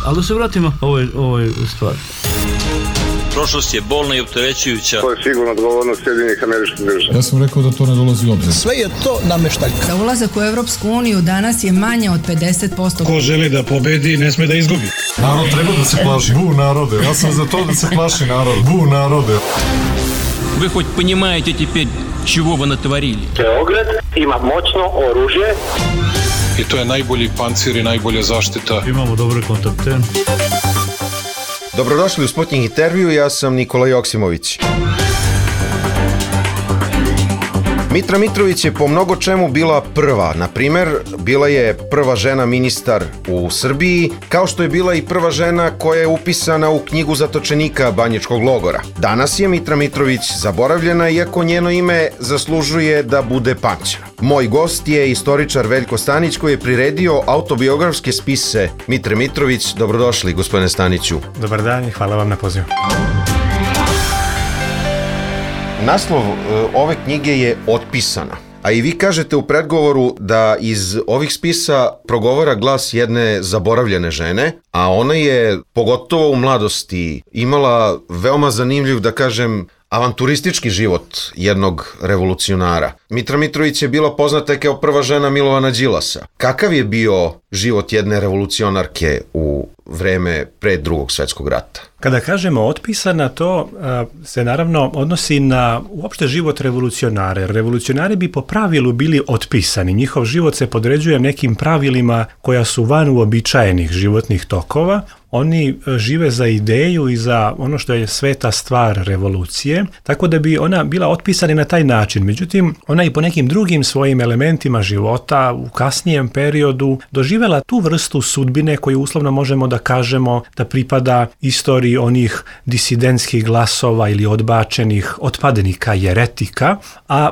Ali da se vratimo ovoj stvari. Prošlost je bolna i opterećujuća. To je sigurno odgovornost Sjedinjenih Američkih Država. Ja sam rekao da to ne dolazi u obzir. Sve je to nameštaljka. Za ulazak u Evropsku uniju danas je manje od 50%. Ko želi da pobedi, ne sme da izgubi. Narod treba da se plaši. Bu narode. Ja sam za to da se plaši narod. Bu narode. Вы хоть понимаете теперь, чего вы натворили? Beograd ima moćno oružje. I to je najbolji pancir i najbolja zaštita. Imamo dobre kontakte. Dobrodošli u Sputnik intervju, ja sam Nikola Joksimović. Mitra Mitrović je po mnogo čemu bila prva. Na primer, bila je prva žena ministar u Srbiji, kao što je bila i prva žena koja je upisana u knjigu zatočenika Banjičkog logora. Danas je Mitra Mitrović zaboravljena, iako njeno ime zaslužuje da bude pamćeno. Moj gost je istoričar Veljko Stanić, koji je priredio autobiografske spise Mitre Mitrović. Dobrodošli, gospodine Staniću. Dobar dan i hvala vam na pozivu. Naslov ove knjige je Otpisana, a i vi kažete u predgovoru da iz ovih spisa progovara glas jedne zaboravljene žene, a ona je, pogotovo u mladosti, imala veoma zanimljiv, da kažem, avanturistički život jednog revolucionara. Mitra Mitrović je bila poznata kao prva žena Milovana Đilasa. Kakav je bio život jedne revolucionarke u vreme pre Drugog svjetskog rata? Kada kažemo otpisana, to se naravno odnosi na uopšte život revolucionara. Revolucionari bi po pravilu bili otpisani. Njihov život se podređuje nekim pravilima koja su van uobičajenih životnih tokova. Oni žive za ideju i za ono što je sveta stvar revolucije, tako da bi ona bila otpisana na taj način. Međutim, ona i po nekim drugim svojim elementima života u kasnijem periodu doživjela tu vrstu sudbine koju uslovno možemo da kažemo da pripada istoriji onih disidentskih glasova ili odbačenih otpadnika, jeretika. A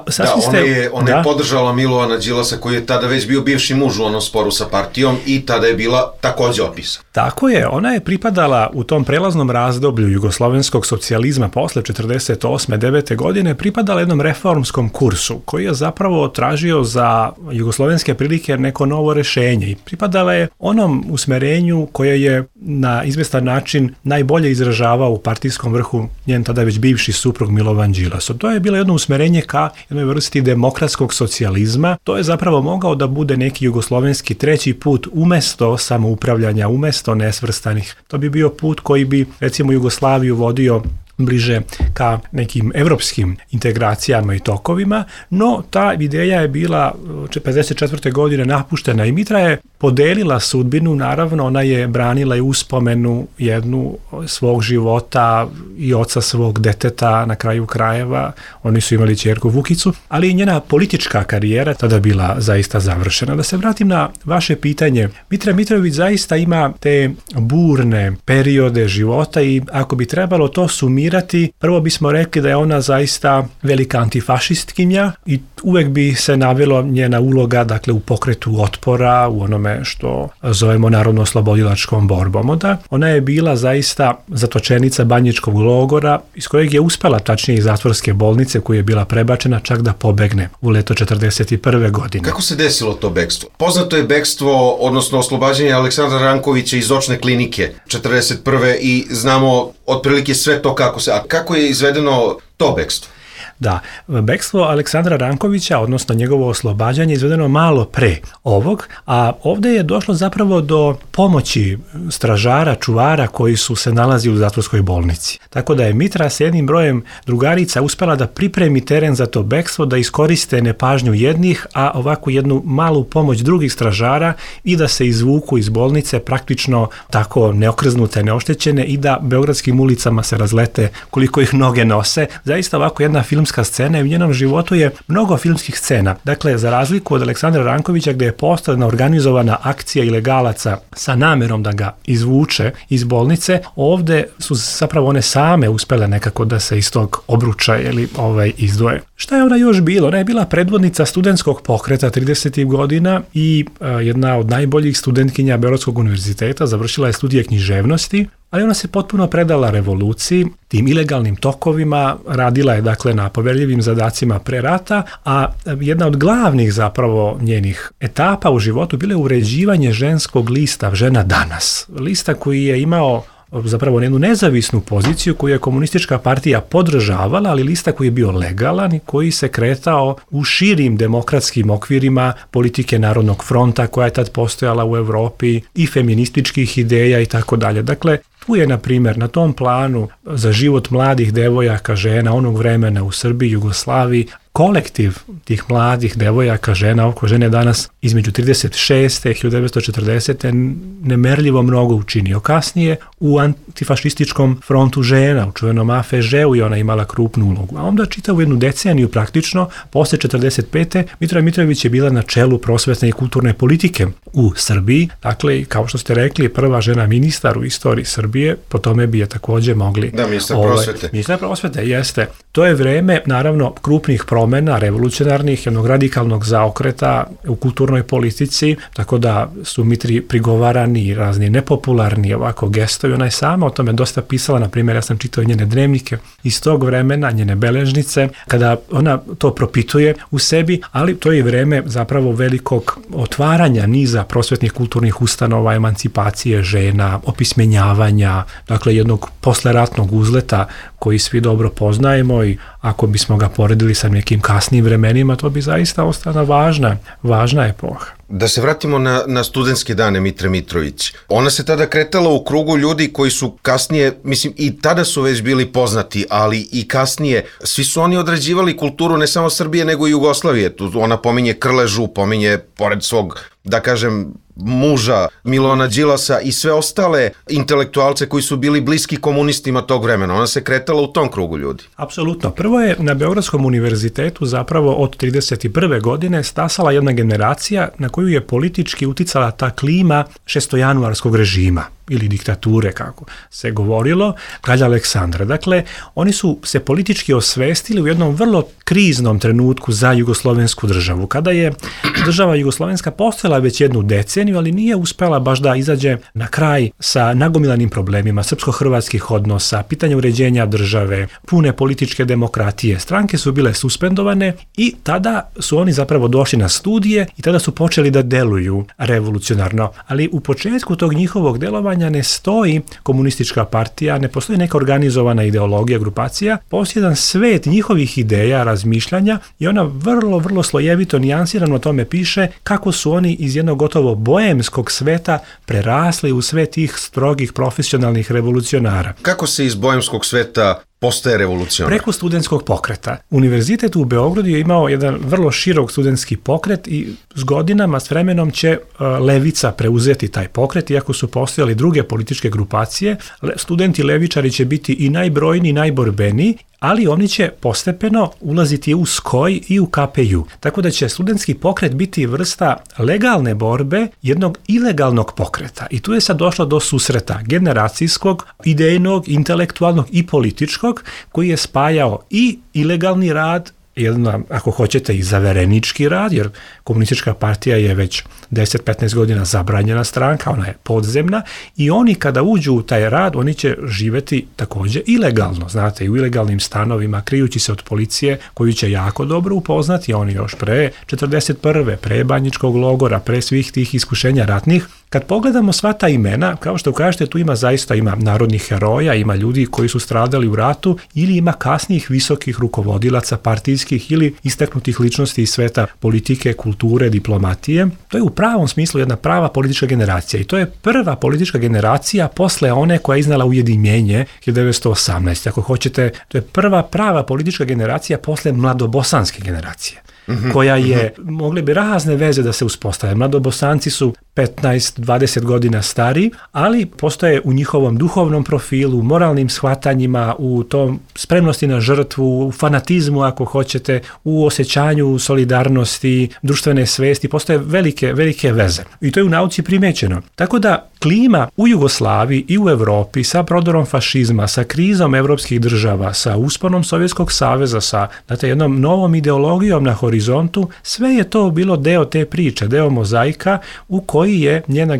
ona je podržala Milovana Đilasa, koji je tada već bio bivši muž u onom sporu sa partijom i tada je bila takođe otpisana. Tako je, ona je pripadala u tom prelaznom razdoblju jugoslovenskog socijalizma posle 48-9. godine, pripadala jednom reformskom kursu koji je zapravo tražio za jugoslovenske prilike neko novo rešenje i pripadala je onom usmerenju koje je na izvestan način najbolje izražavao u partijskom vrhu njen tada već bivši suprug Milovan Đilas. To je bilo jedno usmerenje ka jednoj vrsti demokratskog socijalizma. To je zapravo mogao da bude neki jugoslovenski treći put umesto samoupravljanja, umesto nesvrstanih. To bi bio put koji bi, recimo, Jugoslaviju vodio bliže ka nekim evropskim integracijama i tokovima, no ta ideja je bila 54. godine napuštena i Mitra je podelila sudbinu, naravno ona je branila i uspomenu jednu svog života i oca svog deteta na kraju krajeva, oni su imali ćerku Vukicu, ali i njena politička karijera tada bila zaista završena. Da se vratim na vaše pitanje, Mitra Mitrović zaista ima te burne periode života i ako bi trebalo to sumirati, prvo bismo rekli da je ona zaista velika antifašistkinja i uvek bi se navelo njena uloga, dakle, u pokretu otpora, u onome što zovemo narodno-oslobodilačkom borbom. Ona je bila zaista zatočenica Banjičkog logora, iz kojeg je uspela, tačnije iz zatvorske bolnice koja je bila prebačena, čak da pobegne u leto 41. godine. Kako se desilo to bekstvo? Poznato je bekstvo, odnosno oslobađanje Aleksandra Rankovića iz očne klinike 41. i znamo otprilike sve to kako je izvedeno to bekstvo. Da, bekstvo Aleksandra Rankovića, odnosno njegovo oslobađanje, izvedeno malo pre ovog, a ovdje je došlo zapravo do pomoći stražara, čuvara koji su se nalazi u zatvorskoj bolnici. Tako da je Mitra s jednim brojem drugarica uspela da pripremi teren za to bekstvo, da iskoriste nepažnju jednih, a ovako jednu malu pomoć drugih stražara i da se izvuku iz bolnice praktično tako neokrznute, neoštećene i da beogradskim ulicama se razlete koliko ih noge nose. Zaista ovako jedna filmska scena i u njenom životu je mnogo filmskih scena. Dakle, za razliku od Aleksandra Rankovića, gdje je postojana organizovana akcija ilegalaca sa namerom da ga izvuče iz bolnice, ovdje su zapravo one same uspjele nekako da se iz tog obruča ili izdvoje. Šta je ona još bila? Ona je bila predvodnica studentskog pokreta 30. godina i jedna od najboljih studentkinja Beogradskog univerziteta, završila je studije književnosti ali ona se potpuno predala revoluciji, tim ilegalnim tokovima, radila je dakle na poverljivim zadacima pre rata, a jedna od glavnih zapravo njenih etapa u životu bilo je uređivanje ženskog lista Žena danas. Lista koji je imao zapravo jednu nezavisnu poziciju koju je komunistička partija podržavala, ali lista koji je bio legalan i koji se kretao u širim demokratskim okvirima politike Narodnog fronta koja je tad postojala u Europi i feminističkih ideja i tako dalje. Dakle, tu je, na primjer, na tom planu za život mladih devojaka, žena onog vremena u Srbiji, Jugoslaviji, kolektiv tih mladih devojaka, žena, oko žene danas između 36. i 1940. nemerljivo mnogo učinio. Kasnije u antifašističkom frontu žena, u čuvenom AFŽ-u, i ona imala krupnu ulogu. A onda čitavu jednu deceniju praktično, posle 45. Mitrova Mitrović je bila na čelu prosvetne i kulturne politike u Srbiji. Dakle, kao što ste rekli, prva žena ministar u istoriji Srbije, po tome bi je također mogli... Da, ministar prosvete. Ministar prosvete, jeste. To je vreme, naravno, krupnih promjena, revolucionarnih, jednog radikalnog zaokreta u kulturnoj politici, tako da su Mitri prigovarani razni nepopularni ovako gestovi. Ona je sama o tome dosta pisala, na primjer, ja sam čitao njene dnevnike iz tog vremena, njene beležnice, kada ona to propituje u sebi, ali to je vreme zapravo velikog otvaranja niza prosvetnih kulturnih ustanova, emancipacije žena, opismenjavanja, dakle jednog posleratnog uzleta koji svi dobro poznajemo, i ako bismo ga poredili sa nekim kasnijim vremenima, to bi zaista ostala važna epoha. Da se vratimo na studentske dane Mitre Mitrović. Ona se tada kretala u krugu ljudi koji su kasnije, mislim, i tada su već bili poznati, ali i kasnije. Svi su oni odrađivali kulturu ne samo Srbije, nego i Jugoslavije. Tu ona pominje Krležu, pominje, pored svog, da kažem, muža Milona Đilasa i sve ostale intelektualce koji su bili bliski komunistima tog vremena. Ona se kretala u tom krugu ljudi. Apsolutno. Prvo je na Beogradskom univerzitetu zapravo od 1931. godine stasala jedna generacija na koju je politički uticala ta klima šestojanuarskog režima ili diktature, kako se govorilo, kralja Aleksandra. Dakle, oni su se politički osvestili u jednom vrlo kriznom trenutku za jugoslovensku državu. Kada je država jugoslovenska postojala već jednu deceniju, ali nije uspela baš da izađe na kraj sa nagomilanim problemima srpsko-hrvatskih odnosa, pitanja uređenja države, pune političke demokratije. Stranke su bile suspendovane i tada su oni zapravo došli na studije i tada su počeli da deluju revolucionarno. Ali u početku tog njihovog delovanja ne stoji komunistička partija, ne postoji neka organizovana ideologija, grupacija, postoji jedan svet njihovih ideja, razmišljanja, i ona vrlo, vrlo slojevito, nijansirano o tome piše kako su oni iz jednog gotovo boemskog sveta prerasli u svet tih strogih profesionalnih revolucionara. Kako se iz boemskog sveta postaje revolucionar? Preko studentskog pokreta. Univerzitet u Beogradu je imao jedan vrlo širok studentski pokret i s godinama, s vremenom će levica preuzeti taj pokret, iako su postojali druge političke grupacije. Studenti levičari će biti i najbrojniji i najborbeniji, ali oni će postepeno ulaziti u SKOJ i u KPJ. Tako da će studentski pokret biti vrsta legalne borbe jednog ilegalnog pokreta. I tu je sad došlo do susreta generacijskog, idejnog, intelektualnog i političkog, koji je spajao i ilegalni rad, jedna, ako hoćete, i zaverenički rad, jer komunistička partija je već 10-15 godina zabranjena stranka, ona je podzemna, i oni kada uđu u taj rad, oni će živjeti također ilegalno, znate, i u ilegalnim stanovima, krijući se od policije, koju će jako dobro upoznati, oni još pre 41. pre Banjičkog logora, pre svih tih iskušenja ratnih. Kad pogledamo sva ta imena, kao što kažete, tu ima narodnih heroja, ima ljudi koji su stradali u ratu, ili ima kasnijih visokih rukovodilaca partijskih ili istaknutih ličnosti iz sveta politike, kulture, diplomatije. To je u pravom smislu jedna prava politička generacija, i to je prva politička generacija posle one koja je iznala ujedinjenje 1918. Ako hoćete, to je prva prava politička generacija posle mladobosanske generacije, koja je, mogle bi razne veze da se uspostave. Mladobosanci su 15-20 godina stari, ali postoje u njihovom duhovnom profilu, moralnim shvatanjima, u tom spremnosti na žrtvu, u fanatizmu, ako hoćete, u osjećanju solidarnosti, društvene svesti, postoje velike veze. I to je u nauci primećeno. Tako da klima u Jugoslaviji i u Europi sa prodorom fašizma, sa krizom evropskih država, sa usponom Sovjetskog saveza, sa jednom novom ideologijom na horizontu, sve je to bilo deo te priče, deo mozaika u koji je njena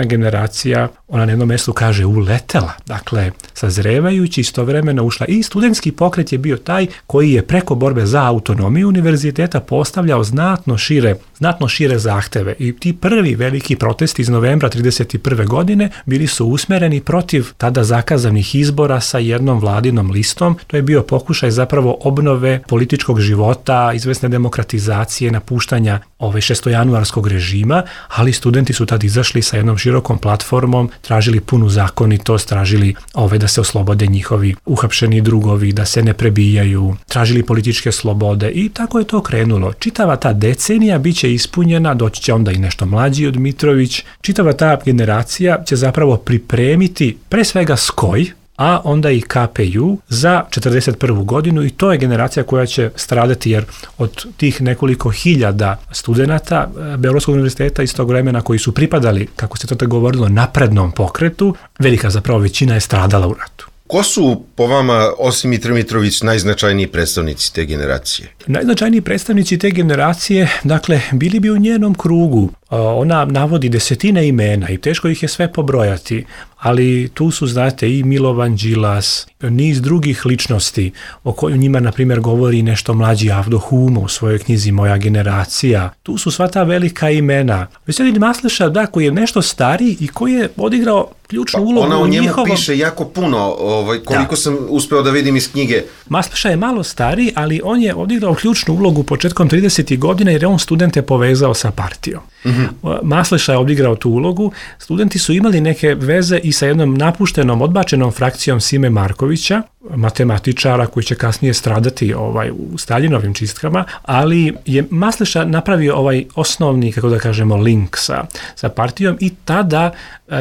generacija ona na jednom mjestu kaže uletela, dakle sazrevajući istovremeno ušla i studentski pokret je bio taj koji je preko borbe za autonomiju univerziteta postavljao znatno šire zahteve i ti prvi veliki protesti iz novembra 1931. godine bili su usmjereni protiv tada zakazanih izbora sa jednom vladinom listom. To je bio pokušaj zapravo obnove političkog života, izvesne demokratizacije, napuštanja šestojanuarskog režima, ali studenti su tad izašli sa jednom širokom platformom, tražili punu zakonitost, tražili da se oslobode njihovi uhapšeni drugovi, da se ne prebijaju, tražili političke slobode i tako je to krenulo. Čitava ta decenija bit će ispunjena, doći će onda i nešto mlađi od Mitrović, čitava ta generacija će zapravo pripremiti pre svega SKOJ, a onda i KPU za 1941. godinu i to je generacija koja će stradati jer od tih nekoliko hiljada studenata Beogradskog univerziteta iz tog vremena koji su pripadali, kako se to tako govorilo, naprednom pokretu, velika zapravo većina je stradala u ratu. Ko su po vama, osim Mitre Mitrović, najznačajniji predstavnici te generacije? Najznačajniji predstavnici te generacije, dakle, bili bi u njenom krugu. Ona navodi desetine imena i teško ih je sve pobrojati, ali tu su, znate, i Milovan Đilas, niz drugih ličnosti, o kojoj njima, na primjer, govori nešto mlađi Avdo Humo u svojoj knjizi Moja generacija. Tu su sva ta velika imena. Veselin Masleša, da, koji je nešto stariji i koji je odigrao ključnu ulogu ona u njemu njihovom... piše jako puno, koliko sam uspeo da vidim iz knjige. Masleša je malo stariji, ali on je odigrao ključnu ulogu početkom 30. godina jer je on studente povezao sa partijom. Masleša je odigrao tu ulogu, studenti su imali neke veze i sa jednom napuštenom, odbačenom frakcijom Sime Markovića, matematičara koji će kasnije stradati u Staljinovim čistkama, ali je Masleša napravio osnovni, kako da kažemo, link sa partijom i tada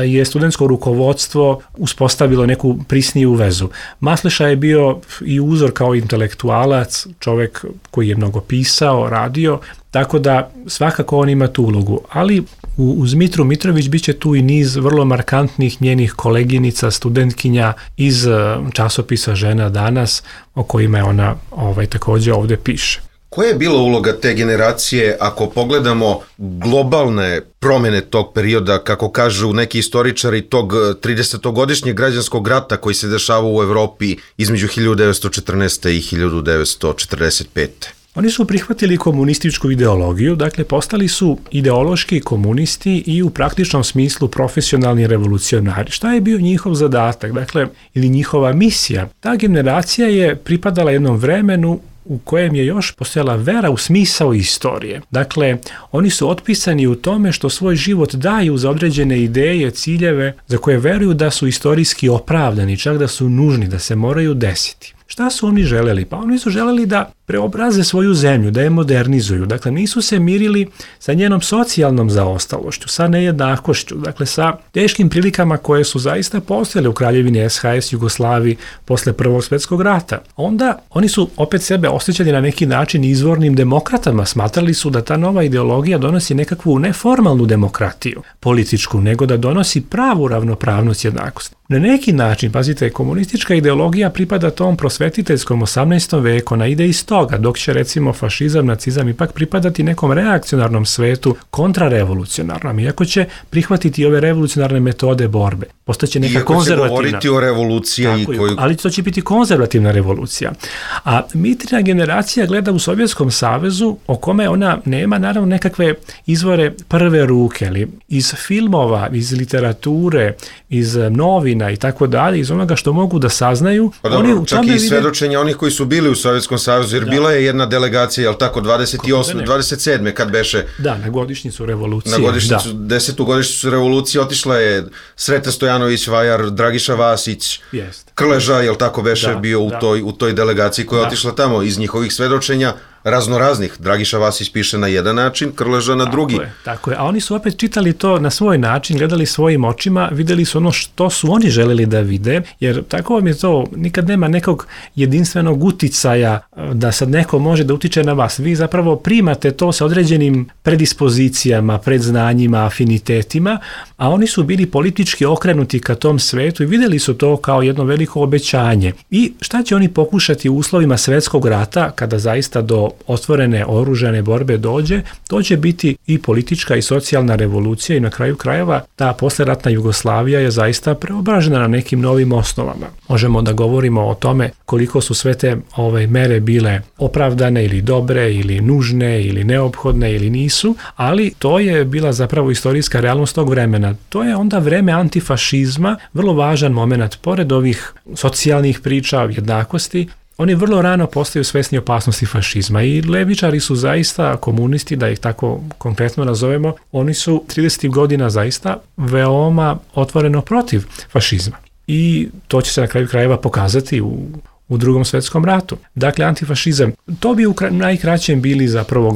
je studentsko rukovodstvo uspostavilo neku prisniju vezu. Masleša je bio i uzor kao intelektualac, čovjek koji je mnogo pisao, radio, tako da svakako on ima tu ulogu, ali uz Mitru Mitrović bit će tu i niz vrlo markantnih njenih koleginica, studentkinja iz časopisa Žena danas, o kojima je ona također ovdje piše. Koja je bila uloga te generacije ako pogledamo globalne promjene tog perioda, kako kažu neki istoričari, tog 30-godišnjeg građanskog rata koji se dešava u Evropi između 1914. i 1945. Oni su prihvatili komunističku ideologiju, dakle postali su ideološki komunisti i u praktičnom smislu profesionalni revolucionari. Šta je bio njihov zadatak, dakle, ili njihova misija? Ta generacija je pripadala jednom vremenu u kojem je još postojala vera u smisao istorije. Dakle, oni su otpisani u tome što svoj život daju za određene ideje, ciljeve, za koje veruju da su istorijski opravdani, čak da su nužni, da se moraju desiti. Šta su oni želeli? Pa oni su želeli da preobraze svoju zemlju, da je modernizuju. Dakle, nisu se mirili sa njenom socijalnom zaostalošću, sa nejednakošću, dakle, sa teškim prilikama koje su zaista postojale u Kraljevini SHS Jugoslaviji posle Prvog svjetskog rata. Onda oni su opet sebe osjećali na neki način izvornim demokratama. Smatrali su da ta nova ideologija donosi nekakvu neformalnu demokratiju političku, nego da donosi pravu ravnopravnost, jednakost. Na neki način, pazite, komunistička ideologija pripada tom prosvetiteljskom 18. veku, ona ide iz toga, dok će recimo fašizam, nacizam ipak pripadati nekom reakcionarnom svetu, kontrarevolucionarnom, iako će prihvatiti ove revolucionarne metode borbe. Postaće neka konzervativna. Iako će govoriti o revoluciji. Ali to će biti konzervativna revolucija. A Mitrina generacija gleda u Sovjetskom savezu, o kome ona nema naravno nekakve izvore prve ruke, ali iz filmova, iz literature, iz novina i tako dalje, iz onoga što mogu da saznaju. Pa dobro, čak i svedočenja onih koji su bili u Sovjetskom savezu, jer bila je jedna delegacija, jel tako, 28. 27. kad beše... Da, na godišnjicu revolucije. Na godišnjicu, 10. godišnjicu revolucije otišla je Sreta Stojanović, Vajar, Dragiša Vasić, Krleža, jel tako beše, bio u toj delegaciji koja je otišla tamo. Iz njihovih svedočenja raznoraznih. Dragiša Vasić piše na jedan način, Krleža na drugi. Tako je, a oni su opet čitali to na svoj način, gledali svojim očima, vidjeli su ono što su oni želeli da vide, jer tako vam je to, nikad nema nekog jedinstvenog uticaja da sad neko može da utiče na vas. Vi zapravo primate to sa određenim predispozicijama, predznanjima, afinitetima, a oni su bili politički okrenuti ka tom svetu i vidjeli su to kao jedno veliko obećanje. I šta će oni pokušati u uslovima svjetskog rata, kada zaista do otvorene oružane borbe dođe, to će biti i politička i socijalna revolucija i na kraju krajeva ta posleratna Jugoslavija je zaista preobražena na nekim novim osnovama. Možemo da govorimo o tome koliko su sve te mere bile opravdane ili dobre ili nužne ili neophodne ili nisu, ali to je bila zapravo istorijska realnost tog vremena. To je onda vreme antifašizma, vrlo važan moment, pored ovih socijalnih priča, jednakosti, oni vrlo rano postaju svesni opasnosti fašizma i levičari su zaista, komunisti, da ih tako konkretno nazovemo, oni su 30. godina zaista veoma otvoreno protiv fašizma. I to će se na kraju krajeva pokazati u Drugom svjetskom ratu. Dakle, antifašizam, to bi u najkraćem bili zapravo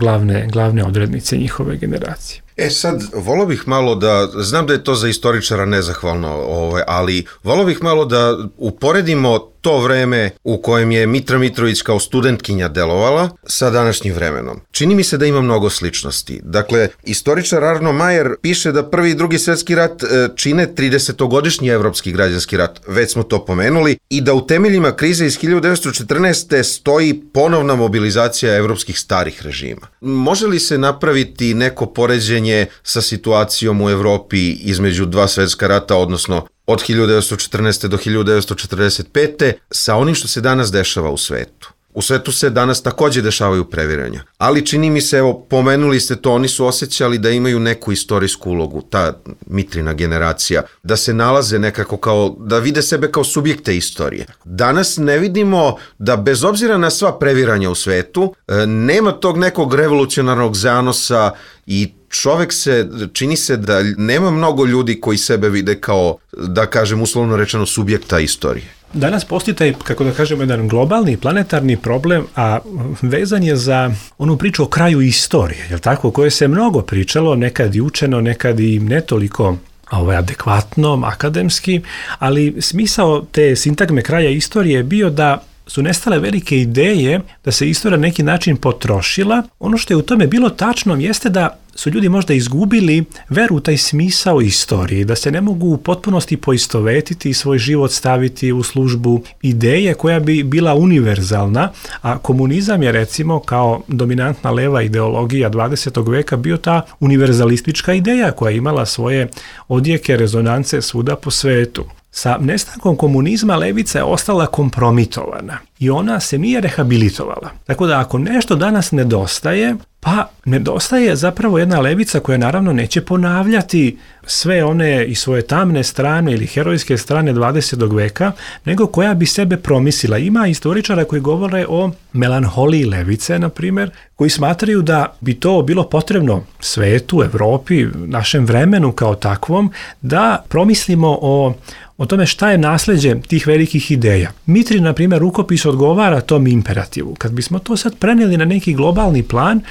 glavne odrednice njihove generacije. Sad, volio bih malo da, znam da je to za istoričara nezahvalno, ali volio bih malo da uporedimo to vreme u kojem je Mitra Mitrović kao studentkinja delovala sa današnjim vremenom. Čini mi se da ima mnogo sličnosti. Dakle, istoričar Arno Majer piše da Prvi i Drugi svjetski rat čine 30-godišnji evropski građanski rat, već smo to pomenuli, i da u temeljima krize iz 1914. stoji ponovna mobilizacija evropskih starih režima. Može li se napraviti neko poređenje sa situacijom u Evropi između dva svjetska rata, odnosno od 1914. do 1945. sa onim što se danas dešava u svetu? U svetu se danas također dešavaju previranja, ali čini mi se, evo, pomenuli ste to, oni su osjećali da imaju neku istorijsku ulogu, ta Mitrina generacija, da se nalaze nekako kao, da vide sebe kao subjekte istorije. Danas ne vidimo da, bez obzira na sva previranja u svetu, nema tog nekog revolucionarnog zanosa i čovek čini se da nema mnogo ljudi koji sebe vide kao, da kažem uslovno rečeno, subjekta istorije. Danas postoji taj, kako da kažemo, jedan globalni, planetarni problem, a vezan je za onu priču o kraju istorije, jel tako, o kojoj se mnogo pričalo, nekad i učeno, nekad i ne toliko adekvatno, akademski, ali smisao te sintagme kraja istorije je bio da su nestale velike ideje, da se istorija na neki način potrošila. Ono što je u tome bilo tačno jeste da su ljudi možda izgubili veru u taj smisao istorije, da se ne mogu u potpunosti poistovetiti i svoj život staviti u službu ideje koja bi bila univerzalna, a komunizam je, recimo, kao dominantna leva ideologija 20. veka bio ta univerzalistička ideja koja je imala svoje odjeke, rezonance svuda po svetu. Sa nestankom komunizma levica je ostala kompromitovana i ona se nije rehabilitovala. Tako da ako nešto danas nedostaje, pa nedostaje zapravo jedna levica koja naravno neće ponavljati sve one i svoje tamne strane ili herojske strane 20. veka, nego koja bi sebe promislila. Ima istoričara koji govore o melanholiji levice, na primjer, koji smatraju da bi to bilo potrebno svetu, Evropi, našem vremenu kao takvom, da promislimo o tome šta je nasljeđe tih velikih ideja. Mitrin, na primjer, rukopis odgovara tom imperativu. Kad bismo to sad prenijeli na neki globalni plan,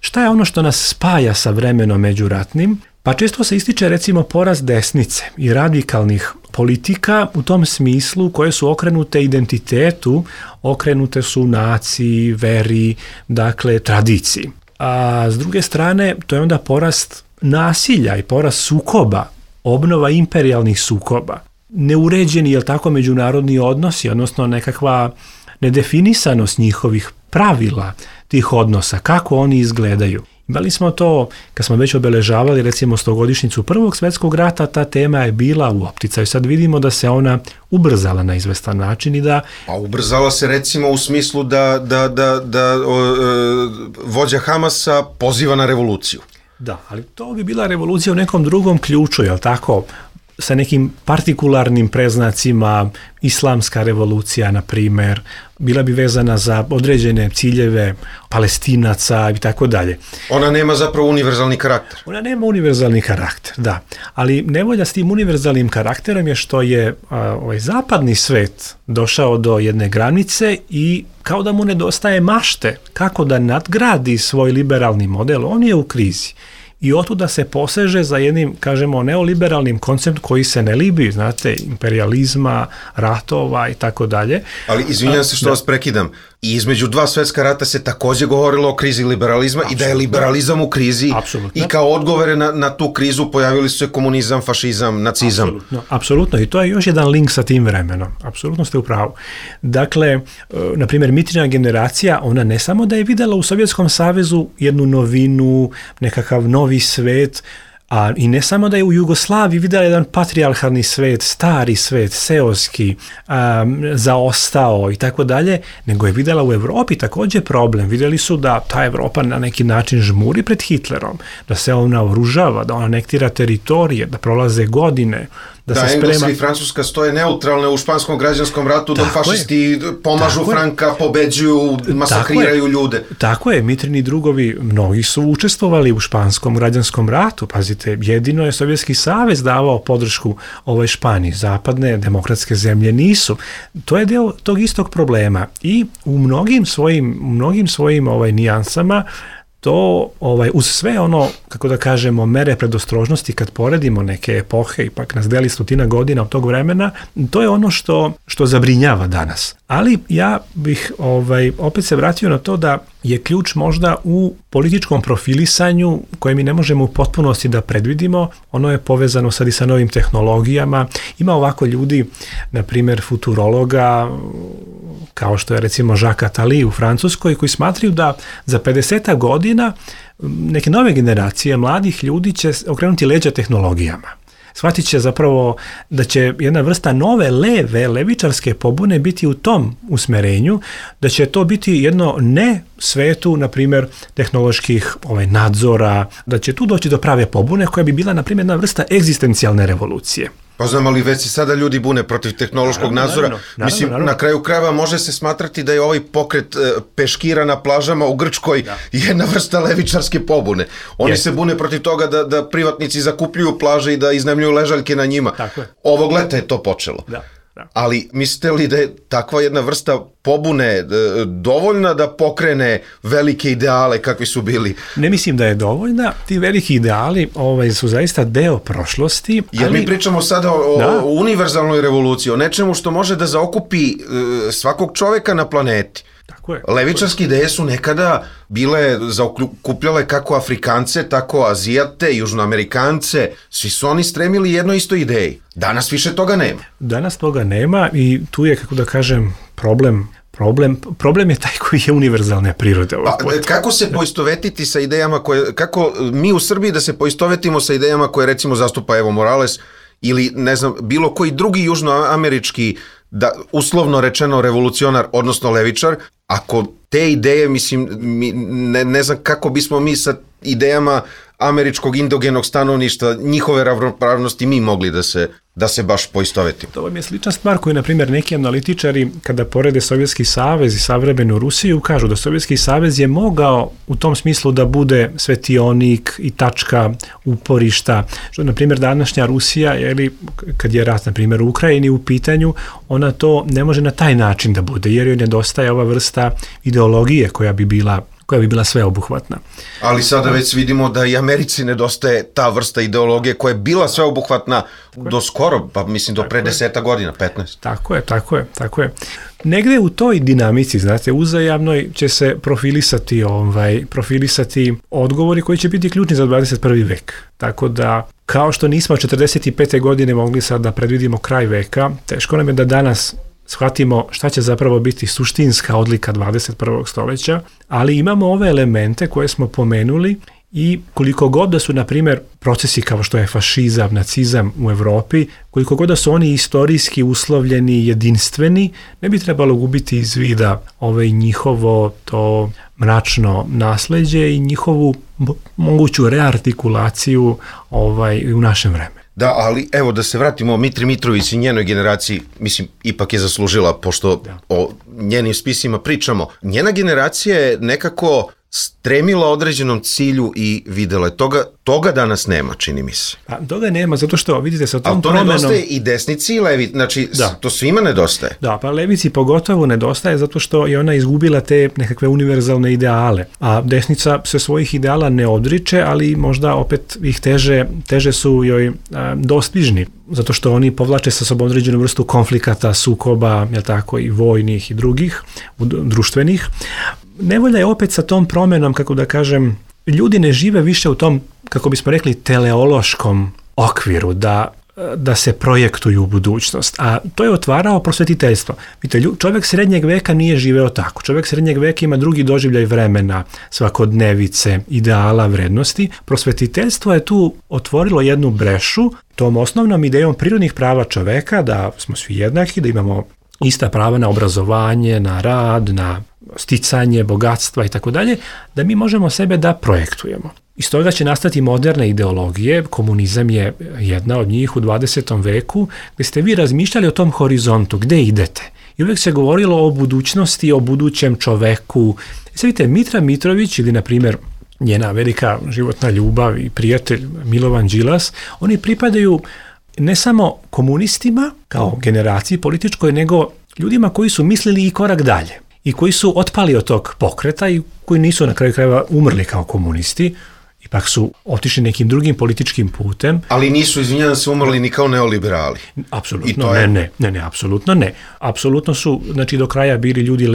šta je ono što nas spaja sa vremenom međuratnim? Pa često se ističe, recimo, porast desnice i radikalnih politika u tom smislu koje su okrenute identitetu, okrenute su naciji, veri, dakle tradiciji. A s druge strane, to je onda porast nasilja i porast sukoba, obnova imperijalnih sukoba, neuređeni, jel tako, međunarodni odnosi, odnosno nekakva nedefinisanost njihovih pravila tih odnosa, kako oni izgledaju. Imali smo to, kad smo već obeležavali recimo 100-godišnjicu Prvog svjetskog rata, ta tema je bila u opticaju. Sad vidimo da se ona ubrzala na izvestan način i da... Pa ubrzala se recimo u smislu da vođa Hamasa poziva na revoluciju. Da, ali to bi bila revolucija u nekom drugom ključu, jel tako? Sa nekim partikularnim preznacima, islamska revolucija, na primjer, bila bi vezana za određene ciljeve Palestinaca i tako dalje. Ona nema zapravo univerzalni karakter. Ona nema univerzalni karakter, da. Ali nevolja s tim univerzalnim karakterom je što je ovaj zapadni svet došao do jedne granice i kao da mu nedostaje mašte kako da nadgradi svoj liberalni model. On je u krizi. I otuda se poseže za jednim, kažemo, neoliberalnim konceptom koji se ne libi, znate, imperializma, ratova i tako dalje. Ali izvinjam se što vas prekidam. I između dva svetska rata se takođe govorilo o krizi liberalizma i da je liberalizam u krizi i kao odgovore na tu krizu pojavili su se komunizam, fašizam, nacizam. Apsolutno. I to je još jedan link sa tim vremenom. Apsolutno ste u pravu. Dakle, na primjer, Mitrina generacija, ona ne samo da je videla u Sovjetskom savezu jednu novinu, nekakav novi svet, a i ne samo da je u Jugoslaviji vidjela jedan patrijarhalni svet, stari svet, seoski, zaostao i tako dalje, nego je vidjela u Europi također problem. Vidjeli su da ta Evropa na neki način žmuri pred Hitlerom, da se ona oružava, da ona anektira teritorije, da prolaze godine, da Engleska i Francuska stoje neutralne u španskom građanskom ratu, dok fašisti pomažu Franka, pobeđuju, masakriraju ljude. Tako je, Mitrini drugovi, mnogi su učestvovali u španskom građanskom ratu, pazite, jedino je Sovjetski savez davao podršku ovoj Španiji, zapadne demokratske zemlje nisu. To je deo tog istog problema i u mnogim svojim nijansama to uz sve ono, kako da kažemo, mere predostrožnosti kad poredimo neke epohe, ipak nas deli 100 godina od tog vremena, to je ono što zabrinjava danas. Ali ja bih opet se vratio na to da je ključ možda u političkom profilisanju koje mi ne možemo u potpunosti da predvidimo. Ono je povezano sad i sa novim tehnologijama. Ima ovako ljudi, na primjer futurologa, kao što je recimo Jacques Attali u Francuskoj, koji smatraju da za 50 godina neke nove generacije mladih ljudi će okrenuti leđa tehnologijama. Shvatit će zapravo da će jedna vrsta nove levičarske pobune biti u tom usmerenju, da će to biti jedno ne svetu, na primjer, tehnoloških nadzora, da će tu doći do prave pobune koja bi bila, na primjer, jedna vrsta egzistencijalne revolucije. Pa znam, ali već se sada ljudi bune protiv tehnološkog nadzora. Mislim, na kraju krajeva može se smatrati da je ovaj pokret peškira na plažama u Grčkoj jedna vrsta levičarske pobune. Oni se bune protiv toga da privatnici zakupljuju plaže i da iznajmljuju ležaljke na njima. Ovog leta je to počelo. Ali mislite li da je takva jedna vrsta pobune dovoljna da pokrene velike ideale kakvi su bili? Ne mislim da je dovoljna. Ti veliki ideali su zaista deo prošlosti. Jer mi pričamo sada o univerzalnoj revoluciji, o nečemu što može da zaokupi svakog čoveka na planeti. Levičarske ideje su nekada bile zaokupljale kako Afrikance, tako Azijate, Južnoamerikance. Svi su oni stremili jednoj istoj ideji. Danas više toga nema. Danas toga nema i tu je, kako da kažem, problem je taj koji je univerzalne prirode. Kako se poistovetiti sa idejama kako mi u Srbiji da se poistovetimo sa idejama koje recimo zastupa Evo Morales ili ne znam, bilo koji drugi južnoamerički, uslovno rečeno revolucionar, odnosno levičar, ako te ideje, mislim, ne znam kako bismo mi sa idejama američkog indogenog stanovništva, njihove ravnopravnosti mi mogli da se baš poistovetimo. To vam je slična stvar koju, na primjer, neki analitičari, kada porede Sovjetski savez i savremenu Rusiju, kažu da Sovjetski savez je mogao u tom smislu da bude svetionik i tačka uporišta. Što, na primjer, današnja Rusija, kad je rat, na primjer, u Ukrajini u pitanju, ona to ne može na taj način da bude, jer joj nedostaje ova vrsta ideologije koja bi bila sveobuhvatna. Ali sada već vidimo da i Americi nedostaje ta vrsta ideologije koja je bila sveobuhvatna do skoro, pa mislim do pre 10 godina, 15. Tako je. Negde u toj dinamici, znate, uzajamnoj će se profilisati odgovori koji će biti ključni za 21. vek. Tako da, kao što nismo 45. godine mogli sad da predvidimo kraj veka, teško nam je da danas shvatimo šta će zapravo biti suštinska odlika 21. stoljeća, ali imamo ove elemente koje smo pomenuli i koliko god da su, na primjer, procesi kao što je fašizam, nacizam u Europi, koliko god da su oni istorijski uslovljeni, jedinstveni, ne bi trebalo gubiti iz vida njihovo to mračno nasleđe i njihovu moguću reartikulaciju u našem vremenu. Da, ali evo da se vratimo Mitri Mitrović i njenoj generaciji, mislim, ipak je zaslužila, pošto o njenim spisima pričamo. Njena generacija je nekako stremila određenom cilju i videla je. Toga danas nema, čini mi se. Pa, toga nema, zato što, vidite, sa tom promenom... Ali to nedostaje i desnici i levi, znači to svima nedostaje. Da, pa levici pogotovo nedostaje zato što je ona izgubila te nekakve univerzalne ideale, a desnica se svojih ideala ne odriče, ali možda opet ih teže su joj dostižni, zato što oni povlače sa sobom određenu vrstu konflikata, sukoba, i vojnih i drugih, društvenih. Nevolja je opet sa tom promjenom, kako da kažem, ljudi ne žive više u tom, kako bismo rekli, teleološkom okviru, da se projektuju u budućnost, a to je otvarao prosvetiteljstvo. Vidite, čovjek srednjeg veka nije živeo tako. Čovjek srednjeg veka ima drugi doživljaj vremena, svakodnevice, ideala, vrednosti. Prosvetiteljstvo je tu otvorilo jednu brešu tom osnovnom idejom prirodnih prava čoveka, da smo svi jednaki, da imamo ista prava na obrazovanje, na rad, na sticanje, bogatstva i tako dalje, da mi možemo sebe da projektujemo. Iz toga će nastati moderne ideologije, komunizam je jedna od njih u 20. veku, gdje ste vi razmišljali o tom horizontu, gdje idete. I uvijek se govorilo o budućnosti, o budućem čoveku. Sad vidite, Mitra Mitrović ili, na primjer, njena velika životna ljubav i prijatelj Milovan Đilas, oni pripadaju ne samo komunistima kao generaciji političkoj, nego ljudima koji su mislili i korak dalje i koji su otpali od tog pokreta i koji nisu na kraju krajeva umrli kao komunisti, ipak su otišli nekim drugim političkim putem. Ali nisu, izvinjavam se, umrli ni kao neoliberali. Apsolutno ne, apsolutno ne. Apsolutno su, znači, do kraja bili ljudi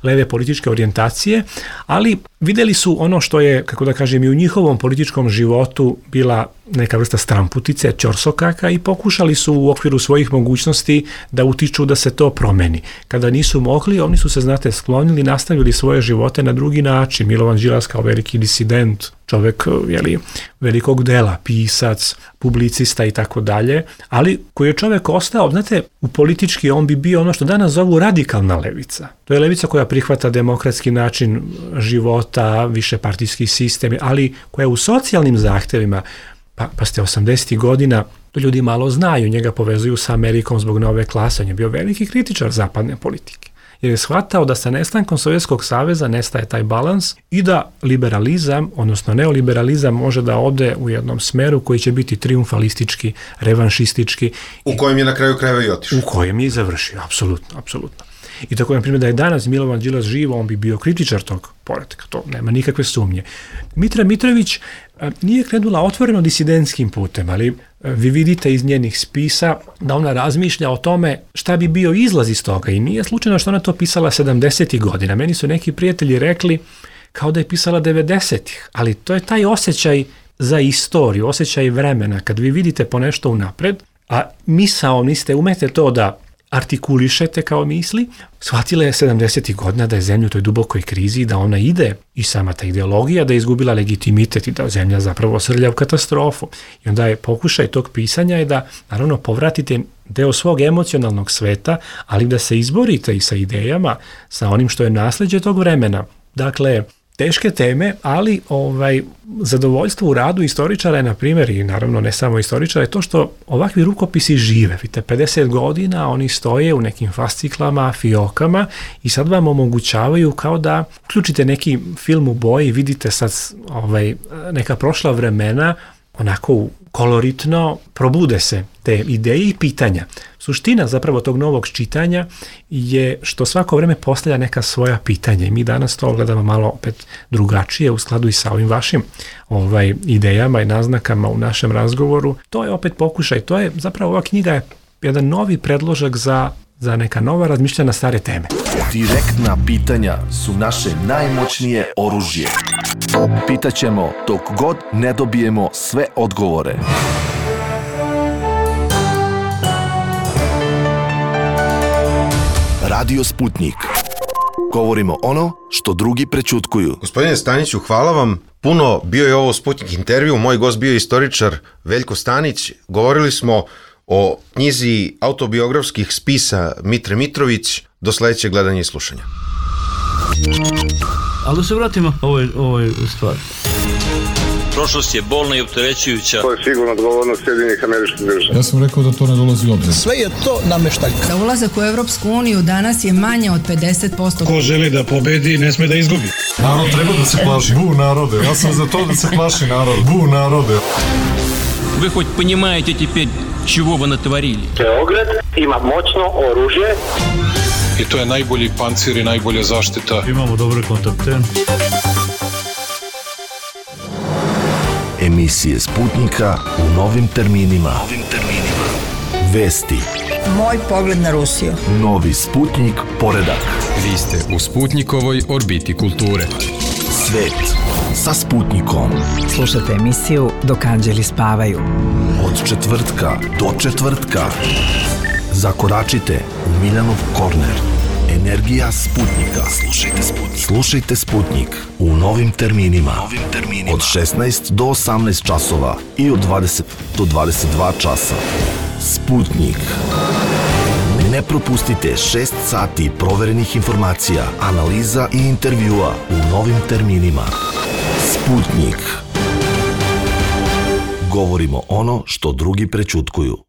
leve političke orijentacije, ali vidjeli su ono što je, kako da kažem, i u njihovom političkom životu bila neka vrsta stramputice, ćorsokaka, i pokušali su u okviru svojih mogućnosti da utiču da se to promeni. Kada nisu mogli, oni su se, znate, sklonili, nastavili svoje živote na drugi način. Milovan Đilas kao veliki disident, čovjek velikog dela, pisac, publicista i tako dalje, ali koji je čovjek ostao, znate, u politički on bi bio ono što danas zovu radikalna levica. To je levica koja prihvata demokratski način života, višepartijski sistem, ali koja u socijalnim zahtjevima, pa ste 80. godina, to ljudi malo znaju, njega povezuju sa Amerikom zbog nove klase, on je bio veliki kritičar zapadne politike. Jer je shvatao da sa nestankom Sovjetskog saveza nestaje taj balans i da liberalizam, odnosno neoliberalizam, može da ode u jednom smeru koji će biti triumfalistički, revanšistički. U kojem je na kraju krajeva i otišao. U kojem je i završio, apsolutno. I tako, na primjer, da je danas Milovan Đilas živo, on bi bio kritičar tog poretka, to nema nikakve sumnje. Mitra Mitrović nije krenula otvoreno disidentskim putem, ali vi vidite iz njenih spisa da ona razmišlja o tome šta bi bio izlaz iz toga, i nije slučajno što ona to pisala 70. godina. Meni su neki prijatelji rekli kao da je pisala 90-ih, ali to je taj osjećaj za istoriju, osjećaj vremena, kad vi vidite po nešto unapred, a misao niste umete to da artikulišete kao misli. Shvatila je 70. godina da je zemlja u toj dubokoj krizi, da ona ide, i sama ta ideologija, da je izgubila legitimitet i da zemlja zapravo srlja u katastrofu. I onda je pokušaj tog pisanja je da, naravno, povratite deo svog emocionalnog sveta, ali da se izborite i sa idejama, sa onim što je nasljeđe tog vremena. Dakle, teške teme, ali zadovoljstvo u radu istoričara je, na primjer, i naravno ne samo istoričara, je to što ovakvi rukopisi žive. Vidite, 50 godina oni stoje u nekim fasciklama, fiokama, i sad vam omogućavaju kao da uključite neki film u boji, vidite sad neka prošla vremena, onako koloritno probude se te ideje i pitanja. Suština zapravo tog novog čitanja je što svako vrijeme postavlja neka svoja pitanja, i mi danas to gledamo malo opet drugačije u skladu i sa ovim vašim idejama i naznakama u našem razgovoru. To je opet pokušaj, to je zapravo, ova knjiga je jedan novi predložak za neka nova razmišljanja na stare teme. Direktna pitanja su naše najmoćnije oružje. Pitaćemo dok god ne dobijemo sve odgovore. Radio Sputnik. Govorimo ono što drugi prećutkuju. Gospodine Staniću, hvala vam puno. Bio je ovo Sputnik intervju. Moj gost bio je istoričar Veljko Stanić. Govorili smo o knjizi autobiografskih spisa Mitre Mitrović. Do sljedećeg gledanja i slušanja. Ali da se vratimo ovoj stvari. Prošlost je bolna i opterećujuća. To je sigurno odgovornost Sjedinjenih Američkih Država. Ja sam rekao da to ne dolazi u obzir. Sve je to nameštaljka. Za ulazak u Evropsku uniju danas je manje od 50%. Ko želi da pobedi, ne sme da izgubi. Narod treba da se plaši. Bu narode. Ja sam za to da se plaši narod. Bu narode. Вы хоть понимаете теперь, чего вы натворили? Beograd ima moćno oružje. I to je najbolji pancir i najbolja zaštita. Imamo dobre kontakte. Emisije Sputnika u novim terminima. Vesti. Moj pogled na Rusiju. Novi Sputnik poredak. Vi ste u Sputnikovoj orbiti kulture. Svet sa Sputnikom. Slušajte emisiju Dok anđeli spavaju. Od četvrtka do četvrtka. Zakoračite u Miljanov korner. Energija Sputnika. Slušajte Sputnik u novim terminima. Od 16 do 18 časova i od 20 do 22 časa. Sputnik. Ne propustite 6 sati proverenih informacija, analiza i intervjua u novim terminima. Sputnik. Govorimo ono što drugi prećutkuju.